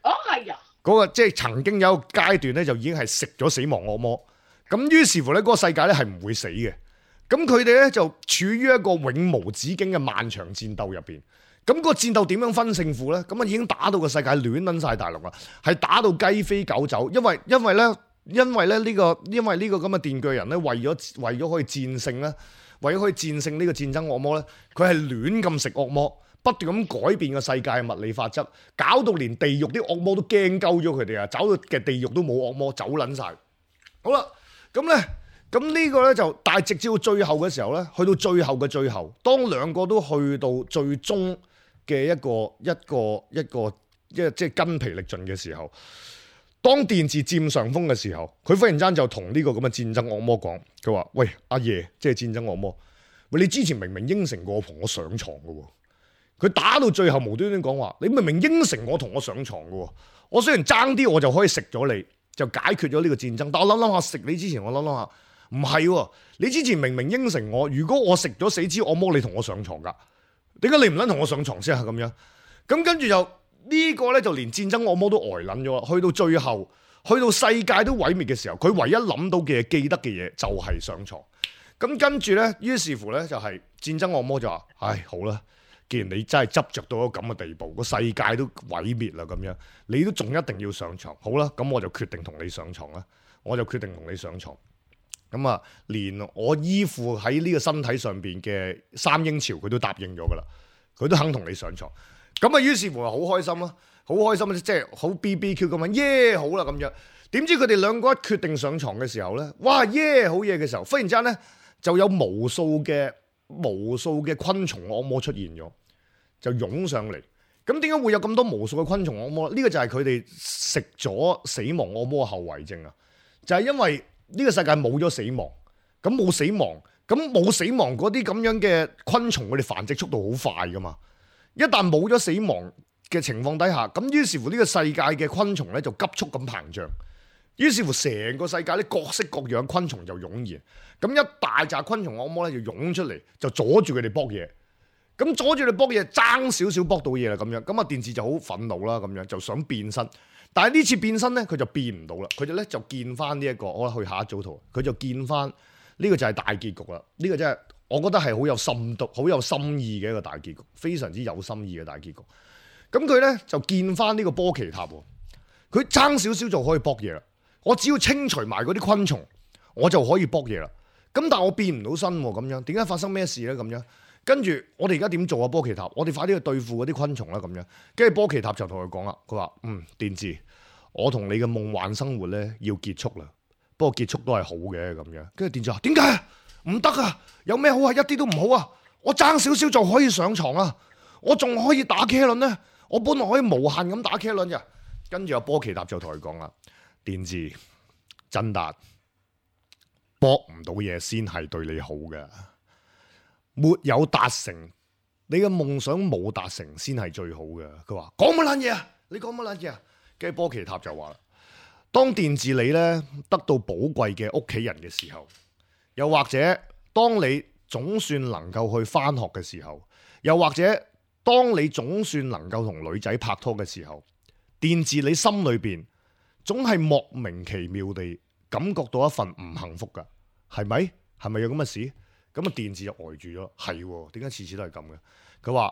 哦，係啊！嗰個即係曾經有一個階段咧，就已經係食咗死亡惡魔。咁於是乎咧，嗰個世界咧係唔會死嘅。咁佢哋咧就處於一個永無止境嘅漫長戰鬥入邊。咁個戰鬥點樣分勝負咧？咁啊已經打到個世界亂撚晒大陸啦，係打到雞飛狗走。因為呢個咁嘅電鋸人咧，為咗可以戰勝咧，為咗可以戰勝呢個戰爭惡魔咧，佢係亂咁食惡魔。不斷咁改變個世界嘅物理法則，搞到連地獄啲惡魔都驚鳩咗佢哋啊！走到嘅地獄都冇惡魔，走撚晒。好啦，咁呢個咧就，但係直至到最後嘅時候咧，去到最後嘅最後，當兩個都去到最終嘅一個即係筋疲力盡嘅時候，當電治佔上風嘅時候，佢忽然間就同呢個咁嘅戰爭惡魔講，佢話：喂，阿爺，即係戰爭惡魔，喂，你之前明明應承過我同我上床嘅喎。佢打到最後無端端講話，你明明應承我同我上床嘅，我雖然爭啲我就可以食咗你，就解決咗呢個戰爭。但我諗下食你之前，我諗下唔係，你之前明明應承我，如果我食咗死之惡魔，你同我上床噶，點解你唔撚同我上床先啊？咁樣，咁跟住就呢個咧就連戰爭惡魔都呆撚咗。去到最後，去到世界都毀滅嘅時候，佢唯一諗到嘅記得嘅嘢就係上床。咁跟住咧，於是乎咧就係戰爭惡魔就話：唉，好啦。既然你真係執着到一個咁嘅地步，個世界都毀滅啦咁樣，你都仲一定要上床。好啦，咁我就決定同你上床啦。我就決定同你上床。咁啊，連我依附喺呢個身體上邊嘅三英朝，佢都答應咗噶啦，佢都肯同你上床。咁啊，於是乎啊，好開心啦，好開心，即係好 BBQ 咁樣，耶好啦咁樣。點知佢哋兩個一決定上床嘅時候咧，哇耶好嘢嘅時候，忽然之間咧就有無數嘅昆蟲惡魔出現咗，就湧上嚟。咁點解會有咁多無數嘅昆蟲惡魔？呢個就係佢哋食咗死亡惡魔嘅後遺症啊！就係因為呢個世界冇咗死亡，咁冇死亡，咁冇死亡嗰啲咁樣嘅昆蟲，佢哋繁殖速度好快噶嘛。一旦冇咗死亡嘅情況底下，咁於是乎呢個世界嘅昆蟲咧就急速咁膨脹，於是乎成個世界咧各式各樣昆蟲就湧現，咁一大紮昆蟲惡魔咧就湧出嚟，就阻住佢哋搏嘢。咁阻住你搏嘢，爭少少搏到嘢啦咁樣，咁啊電視就好憤怒啦咁樣，就想變身。但係呢次變身咧，佢就變唔到啦。佢哋咧就見翻呢一個，我去下一組圖，佢就見翻呢個就係大結局啦。呢個真係我覺得係好有深度、好有心意嘅一個大結局，非常之有心意嘅大結局。咁佢咧就見翻呢個波奇塔喎，佢爭少少就可以搏嘢啦。我只要清除埋嗰啲昆蟲，我就可以搏嘢啦。咁但係我變唔到身喎，咁樣點解發生咩事咧？咁樣跟住我哋而家點做啊？波奇塔，我哋快啲去對付嗰啲昆蟲啦，咁樣。跟住波奇塔就同佢講啦，佢話電治，我同你嘅夢幻生活咧要結束啦。不過結束都係好嘅咁樣。跟住電治話點解唔得啊？有咩好啊？一啲都唔好啊！我爭少少就可以上床啊！我仲可以打茄輪咧，我本來可以無限咁打茄輪嘅。跟住阿波奇塔就同佢講啦，電治真達搏唔到嘢先係對你好嘅。沒有達成你嘅夢想，冇達成先係最好嘅。佢話講乜撚嘢啊？你講乜撚嘢啊？跟住波奇塔就話啦，當電治你咧得到寶貴嘅屋企人嘅時候，又或者當你總算能夠去返學嘅時候，又或者當你總算能夠同女仔拍拖嘅時候，電治你心裏邊總係莫名其妙地感覺到一份唔幸福噶，係咪？係咪有咁嘅事？咁啊，電治就呆住咗，係點解次次都係咁嘅？佢話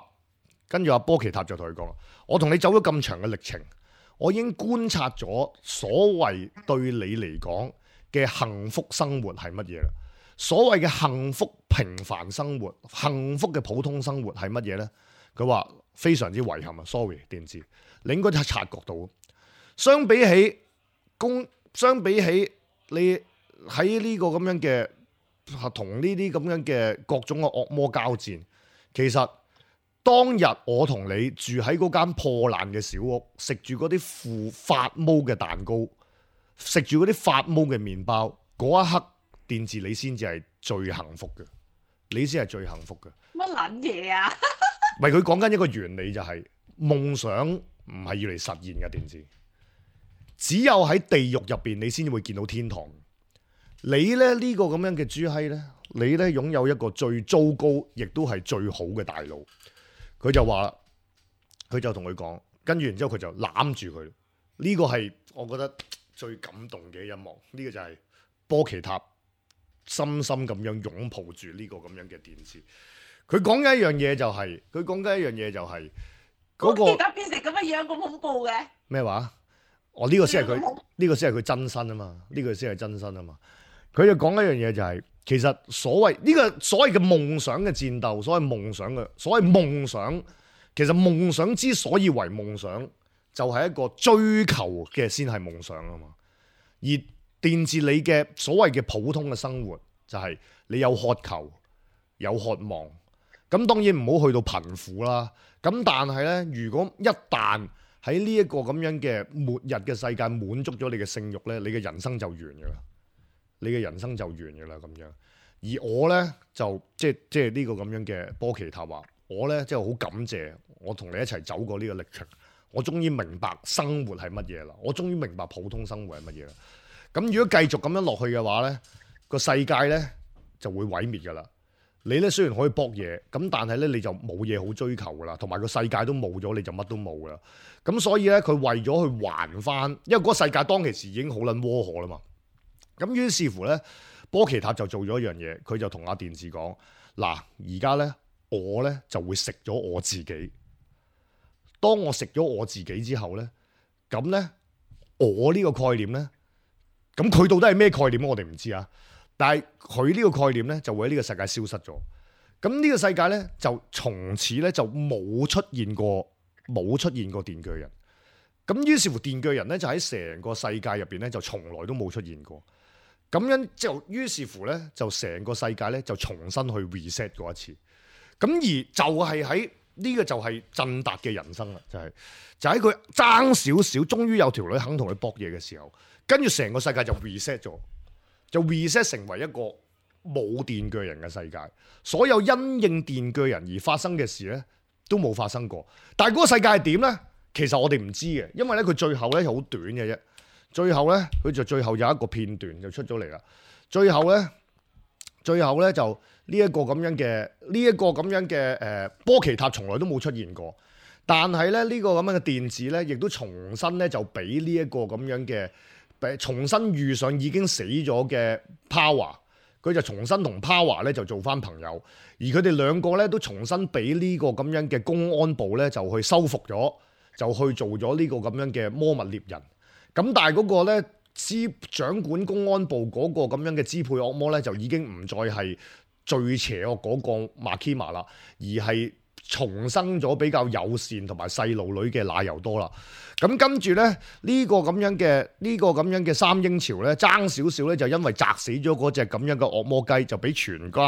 跟住阿波奇塔就同佢講，我同你走咗咁長嘅歷程，我已經觀察咗所謂對你嚟講嘅幸福生活係乜嘢啦。所謂嘅幸福平凡生活、幸福嘅普通生活係乜嘢呢？佢話非常之遺憾啊 ，sorry 電治，你應該察覺到，相比起你喺呢個咁樣嘅。同呢啲咁樣嘅各種嘅惡魔交戰，其實當日我同你住喺嗰間破爛嘅小屋，食住嗰啲發毛嘅蛋糕，食住嗰啲發毛嘅麵包，嗰一刻電治你先至係最幸福嘅，你先係最幸福嘅。乜撚嘢啊？唔係佢講緊一個原理就係夢想唔係要嚟實現嘅，電治只有喺地獄入邊你先會見到天堂。你咧呢個咁樣嘅豬閪咧，你咧擁有一個最糟糕，亦都係最好嘅大腦。佢就話，佢就同佢講，跟住然之後佢就攬住佢。呢個係我覺得最感動嘅一幕。呢個就係波奇塔深深咁樣擁抱住呢個咁樣嘅電治。佢講緊一樣嘢就係，嗰個波奇塔變成咁嘅樣咁恐怖嘅咩話？呢個先係佢，呢個先係佢真身啊嘛，呢個先係真身啊嘛。佢就講一樣嘢就係，其實所謂嘅夢想嘅戰鬥，所謂夢想，其實夢想之所以為夢想，就係一個追求嘅先係夢想啊嘛。而電治你嘅所謂嘅普通嘅生活，就係你有渴求，有渴望。咁當然唔好去到貧苦啦。咁但係呢，如果一旦喺呢一個咁樣嘅末日嘅世界滿足咗你嘅性慾呢，你嘅人生就完㗎啦。你嘅人生就完㗎啦咁樣。而我呢，就即係呢個咁樣嘅波奇塔話，我呢，即係好感謝我同你一齊走過呢個歷程。我終於明白生活係乜嘢啦。我終於明白普通生活係乜嘢啦。咁如果繼續咁樣落去嘅話呢，個世界呢就會毀滅㗎啦。你呢雖然可以搏嘢，咁但係呢你就冇嘢好追求㗎啦，同埋個世界都冇咗，你就乜都冇㗎啦。咁所以呢，佢為咗去還翻，因為嗰個世界當其時已經好撚窩火啦嘛。咁於是乎呢，波奇塔就做咗一樣嘢，佢就同阿電治講：嗱，而家呢，我呢就會食咗我自己。當我食咗我自己之後呢，咁呢，我呢個概念呢，咁佢到底係咩概念我哋唔知啊。但係佢呢個概念呢，就會喺呢個世界消失咗。咁呢個世界呢，就從此呢，就冇出現過電鋸人。咁於是乎電鋸人呢，就喺成個世界入邊呢，就從來都冇出現過。咁樣就於是乎呢，就成個世界呢，就重新去 reset 過一次。咁而就係喺呢個就係振達嘅人生啦，就喺佢爭少少，終於有條女肯同佢搏嘢嘅時候，跟住成個世界就 reset 咗，就 reset 成為一個冇電鋸人嘅世界。所有因應電鋸人而發生嘅事呢，都冇發生過。但係嗰個世界係點呢？其實我哋唔知嘅，因為呢，佢最後呢好短嘅啫。最後呢，佢就最後有一個片段就出咗嚟啦。最後呢，就呢一個咁樣嘅波奇塔從來都冇出現過。但係咧呢個咁樣嘅電子呢，亦都重新呢，就俾呢一個咁樣嘅重新遇上已經死咗嘅 Power， 佢就重新同 Power 呢就做翻朋友。而佢哋兩個呢，都重新俾呢個咁樣嘅公安部呢，就去收復咗，就去做咗呢個咁樣嘅魔物獵人。咁但係嗰個咧掌管公安部嗰個咁樣嘅支配惡魔咧，就已經唔再係最邪惡嗰個馬基瑪啦，而係重生咗比較友善同埋細路女嘅奶油多啦。咁跟住咧呢個咁樣嘅三英朝咧爭少少咧，就因為砸死咗嗰隻咁樣嘅惡魔雞，就俾全個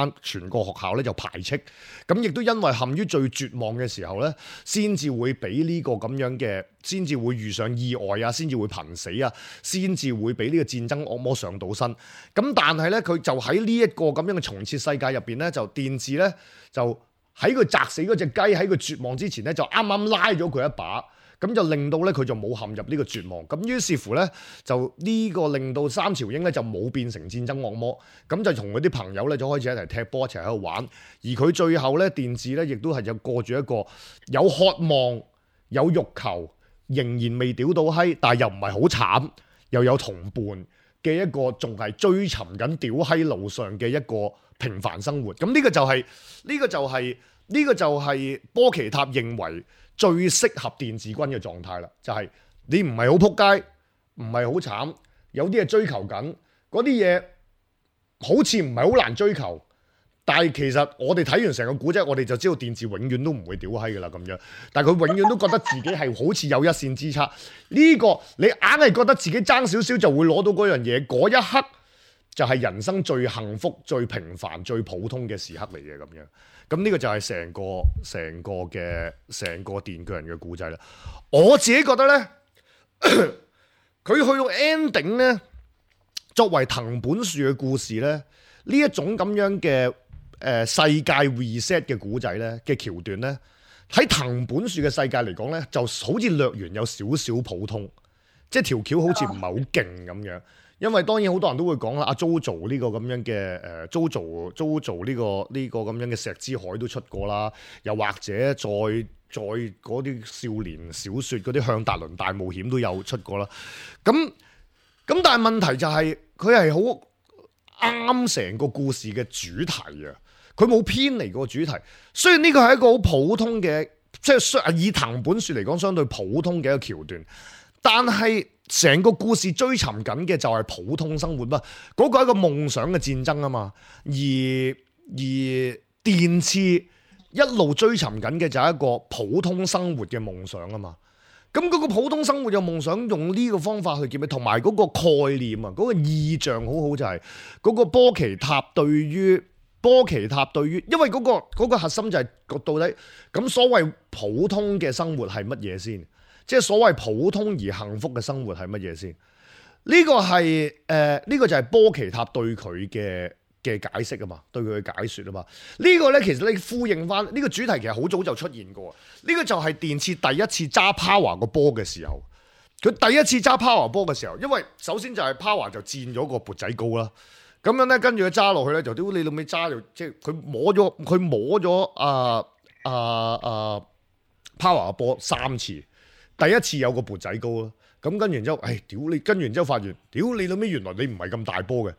學校咧就排斥。咁亦都因為陷於最絕望嘅時候咧，先至會俾呢個咁樣嘅，先至會遇上意外啊，先至會瀕死啊，先至會俾呢個戰爭惡魔上到身。咁但係咧，佢就喺呢一個咁樣嘅重設世界入邊咧，就電治咧就喺佢砸死嗰隻雞喺佢絕望之前咧，就啱啱拉咗佢一把。咁就令到咧佢就冇陷入呢個絕望，咁於是乎咧就呢個令到三朝英咧就冇變成戰爭惡魔，咁就同佢啲朋友咧就開始一齊踢波一齊喺度玩，而佢最後咧電治咧亦都係就過住一個有渴望有欲求，仍然未屌到閪，但係又唔係好慘，又有同伴嘅一個仲係追尋緊屌閪路上嘅一個平凡生活。咁呢個就係波奇塔認為最適合電治軍嘅狀態啦，就係你唔係好撲街，唔係好慘，有啲嘢追求緊，嗰啲嘢好似唔係好難追求，但係其實我哋睇完成個古仔，我哋就知道電治永遠都唔會屌閪噶啦咁樣，但係佢永遠都覺得自己係好似有一線之差，呢個你硬係覺得自己爭少少就會攞到嗰樣嘢，嗰一刻就係人生最幸福、最平凡、最普通嘅時刻嚟嘅咁樣。咁呢個就係成個電鋸人嘅故仔啦。我自己覺得呢，佢去到 ending 呢，作為藤本樹嘅故事呢，呢一種咁樣嘅世界 reset 嘅故仔呢嘅橋段呢，喺藤本樹嘅世界嚟講呢，就好似略完有少少普通，即係條橋好似唔係好勁咁樣。因為當然好多人都會講啦，阿 JoJo 呢個咁樣嘅JoJo 呢個咁樣嘅石之海都出過啦，又或者再嗰啲少年小說嗰啲向達倫大冒險都有出過啦。咁但係問題就係佢係好啱成個故事嘅主題啊，佢冇偏離個主題。雖然呢個係一個好普通嘅，即係以藤本樹嚟講相對普通嘅一個橋段，但係成個故事追尋緊嘅就係普通生活嘛，嗰個係一個夢想嘅戰爭啊嘛，而電次一路追尋緊嘅就係一個普通生活嘅夢想啊嘛，咁嗰個普通生活嘅夢想用呢個方法去結尾，同埋嗰個概念啊，嗰個意象好好就係嗰個波奇塔對於，因為嗰個核心就係到底咁所謂普通嘅生活係乜嘢先？即係所謂普通而幸福嘅生活係乜嘢先？呢個就係波奇塔對佢嘅解釋啊嘛，對佢嘅解說啊嘛。呢個呢，其實你呼應翻呢個主題，其實好早就出現過。呢個就係電次第一次揸 Power 個波嘅時候，佢第一次揸 Power 波嘅時候，因為首先就係 Power 就佔咗個缽仔糕啦。咁樣呢，跟住佢揸落去呢，就屌你老味揸到，即係佢摸咗Power 個波3次。第一次有個缽仔糕啦，咁跟住然之後，屌你！跟住然之後發現，屌你老味，原來你唔係咁大波嘅，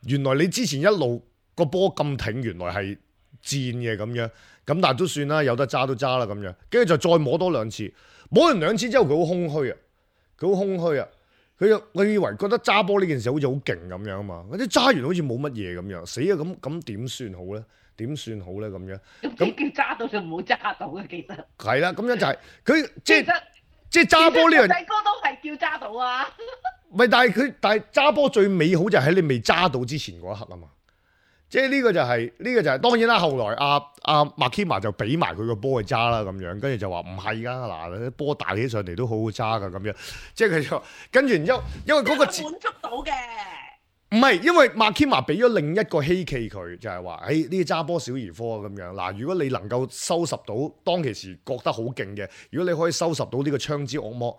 原來你之前一路個波咁挺，原來係賤嘅咁樣。咁但係都算啦，有得揸都揸啦咁樣，跟住就再摸多兩次，摸完兩次之後佢好空虛啊，佢以為覺得揸波呢件事好似好勁咁樣啊嘛，嗰啲揸完好似冇乜嘢咁樣，死啊咁點算好咧？點算好咧咁樣？咁叫揸到就唔好揸到嘅，其實係啦，咁樣就係佢即係揸波呢樣，細哥都係叫揸到啊。唔係，但係揸波最美好就係喺你未揸到之前嗰一刻啊嘛。即係呢個就係當然啦。後來阿麥基馬就俾埋佢個波去揸啦咁樣，跟住就話唔係㗎嗱，啲波大起上嚟都好好揸㗎咁樣。即係佢就跟住然之後，因為嗰個滿足到嘅。唔係，因為麥基馬俾咗另一個希冀佢，就係話：誒呢啲揸波小兒科咁樣嗱，如果你能夠收拾到當其時覺得好勁嘅，如果你可以收拾到呢個槍之惡魔，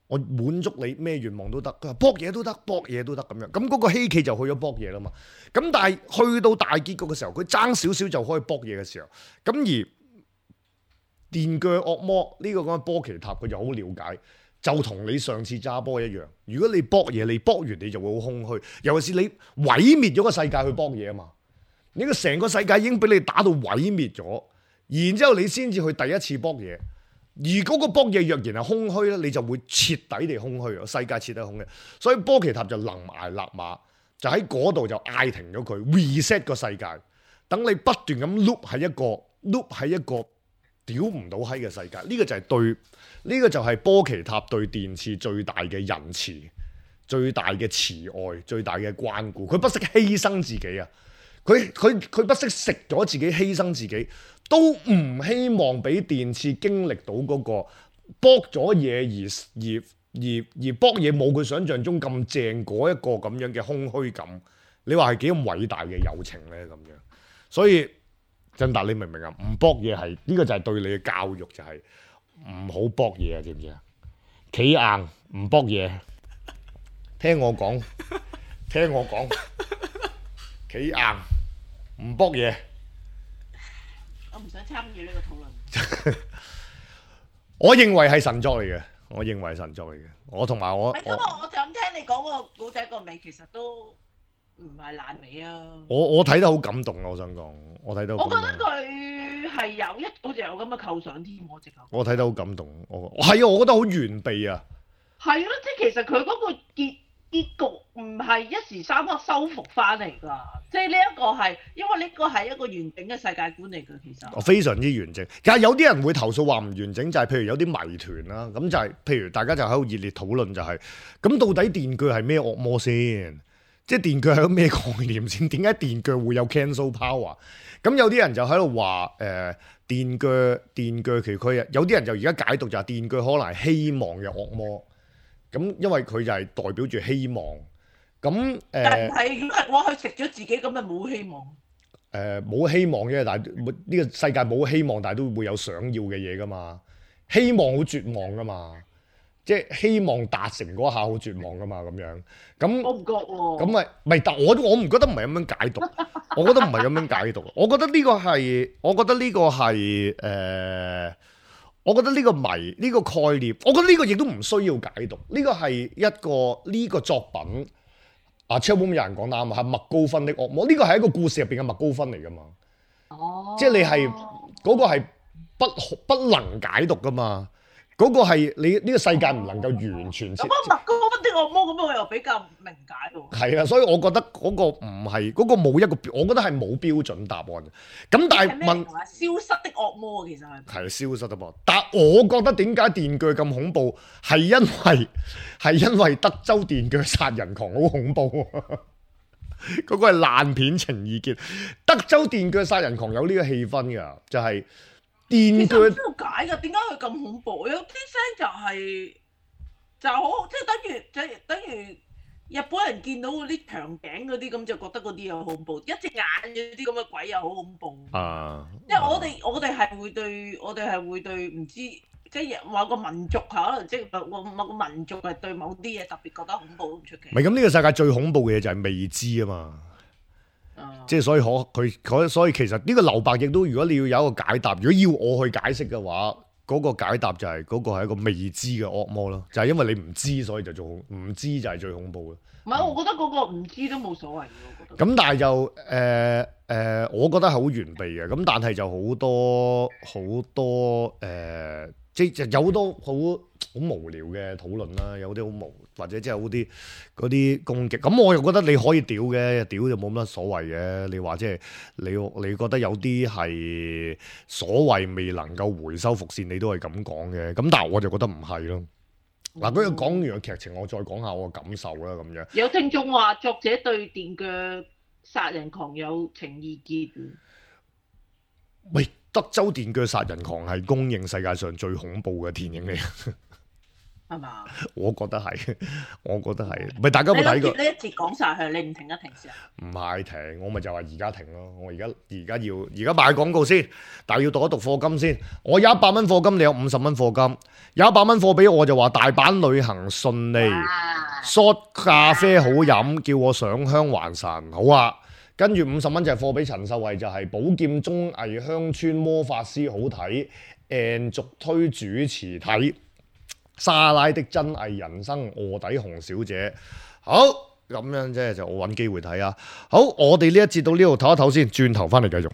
我滿足你咩願望都得。佢話搏嘢都得，搏嘢都得咁樣。咁嗰個希冀就去咗搏嘢啦嘛。咁但係去到大結局嘅時候，佢爭少少就可以搏嘢嘅時候，咁而電鋸惡魔呢個咁嘅波奇塔，佢就好了解。就同你上次揸波一樣，如果你搏嘢，你搏完你就會好空虛。尤其是你毀滅咗個世界去搏嘢啊嘛，你個成個世界已經俾你打到毀滅咗，然之後你先至去第一次搏嘢。而嗰個搏嘢若然係空虛咧，你就會徹底地空虛，世界徹底空虛。所以波奇塔就臨崖勒馬，就喺嗰度就嗌停咗佢 reset 個世界，等你不斷咁 loop 喺一個屌唔到閪嘅世界。呢個就係對。呢個就係波奇塔對電刺最大嘅仁慈、最大嘅慈愛、最大嘅關顧。佢不惜犧牲自己啊！佢不惜食咗自己、犧牲自己，都唔希望俾電刺經歷到嗰個搏咗嘢而搏嘢冇佢想象中咁正嗰一個咁樣嘅空虛感。你話係幾咁偉大嘅友情咧？咁樣，所以振達你明唔明啊？唔搏嘢係呢個就係對你嘅教育，就係、唔好搏嘢啊，知唔知啊？企硬唔搏嘢，聽我講，企硬唔搏嘢。我唔想參與呢個討論。我認為係神作嚟嘅，我同埋我。咁我就咁聽你講個古仔個尾，其實都唔係爛尾啊！我睇得好感動啊！我想講，我睇得好感動。我覺得佢係好似有咁嘅構想添，我直頭。我睇得好感動，係啊！我覺得好完備啊！係咯，即係其實佢嗰個結局唔係一時三刻修復翻嚟㗎，即係呢一個係因為呢個係一個完整嘅世界觀嚟㗎，其實。非常之完整，但係有啲人會投訴話唔完整，就係譬如有啲謎團啦，咁就係譬如大家就喺度熱烈討論就係，咁到底電鋸係咩惡魔先？即係電鋸係個咩概念先？點解電鋸會有 cancel power？咁有啲人就喺度話電鋸其實佢有啲人就而家解讀就係電鋸可能係希望嘅惡魔。咁因為佢就係代表住希望。咁但係我去食咗自己咁咪冇希望。冇希望嘅，但係呢個世界冇希望，但係都會有想要嘅嘢噶嘛。希望好絕望噶嘛。即係希望達成嗰下好絕望噶嘛，咁樣咁我唔覺喎。咁咪但我唔覺得唔係咁樣解讀，我覺得唔係咁樣解讀。我覺得呢個係我覺得呢個謎呢個概念，我覺得呢個亦都唔需要解讀。呢個係呢個作品啊 Chatroom 有人講啱啊，係麥高芬的惡魔。呢個係一個故事入邊嘅麥高芬嚟噶嘛。哦，即係你係嗰個係不能解讀噶嘛。嗰個係你呢個世界唔能夠完全。咁麥高芬的惡魔咁，我又比較明解喎。係啊，所以我覺得嗰個唔係嗰個冇一個，我覺得係冇標準答案嘅。咁但係問消失的惡魔其實係消失的惡魔，但係我覺得點解電鋸咁恐怖，係因為德州電鋸殺人狂好恐怖。嗰個係爛片情意結，德州電鋸殺人狂有呢個氣氛㗎，就係。電鋸點解㗎？點解佢咁恐怖？有啲聲就好，即係等於日本人見到嗰啲長頸嗰啲咁，就覺得嗰啲又恐怖。一隻眼嗰啲咁嘅鬼又好恐怖。因為我哋係會對唔知即係某個民族可能即係某個民族係對某啲嘢特別覺得恐怖都唔出奇。唔係咁，呢個世界最恐怖嘅嘢就係未知啊嘛。即係所以其實呢個留白亦都，如果你要有一個解答，如果要我去解釋嘅話，嗰個解答就係嗰個係一個未知嘅惡魔咯，就係因為你唔知，所以就唔知就係最恐怖嘅。唔係，我覺得嗰個唔知都冇所謂嘅，我覺得。咁但係就我覺得係好完備嘅。咁但係就好多即係有好多好無聊嘅討論啦，有啲好或者即係好啲嗰啲攻擊。咁我又覺得你可以屌嘅，屌就冇乜所謂嘅。你話即係你覺得有啲係所謂未能夠回收伏線，你都係咁講嘅。咁但係我就覺得唔係咯。嗱，咁講完個劇情，我再講下我嘅感受啦，咁樣。有聽眾話作者對電鋸殺人狂有情意結。喂，德州電鋸殺人狂係公認世界上最恐怖嘅電影嚟，係嘛？我覺得係，唔係大家有冇睇過？呢一節講晒佢，你唔停一停先啊？唔係停，我咪就話而家停咯。我而家賣廣告先，但係要讀一讀課金先。我有100蚊課金，你有50蚊課金。有100蚊課俾我就話大阪旅行順利，shot 咖啡好飲，叫我上香還神，好啊。跟住50蚊就係課俾陳秀慧，就係寶劍綜藝鄉村魔法師好睇，and 續推主持睇莎拉的真偽人生臥底紅小姐。好，咁樣即係就我揾機會睇啊。好，我哋呢一節到呢度唞一唞先，轉頭翻嚟繼續。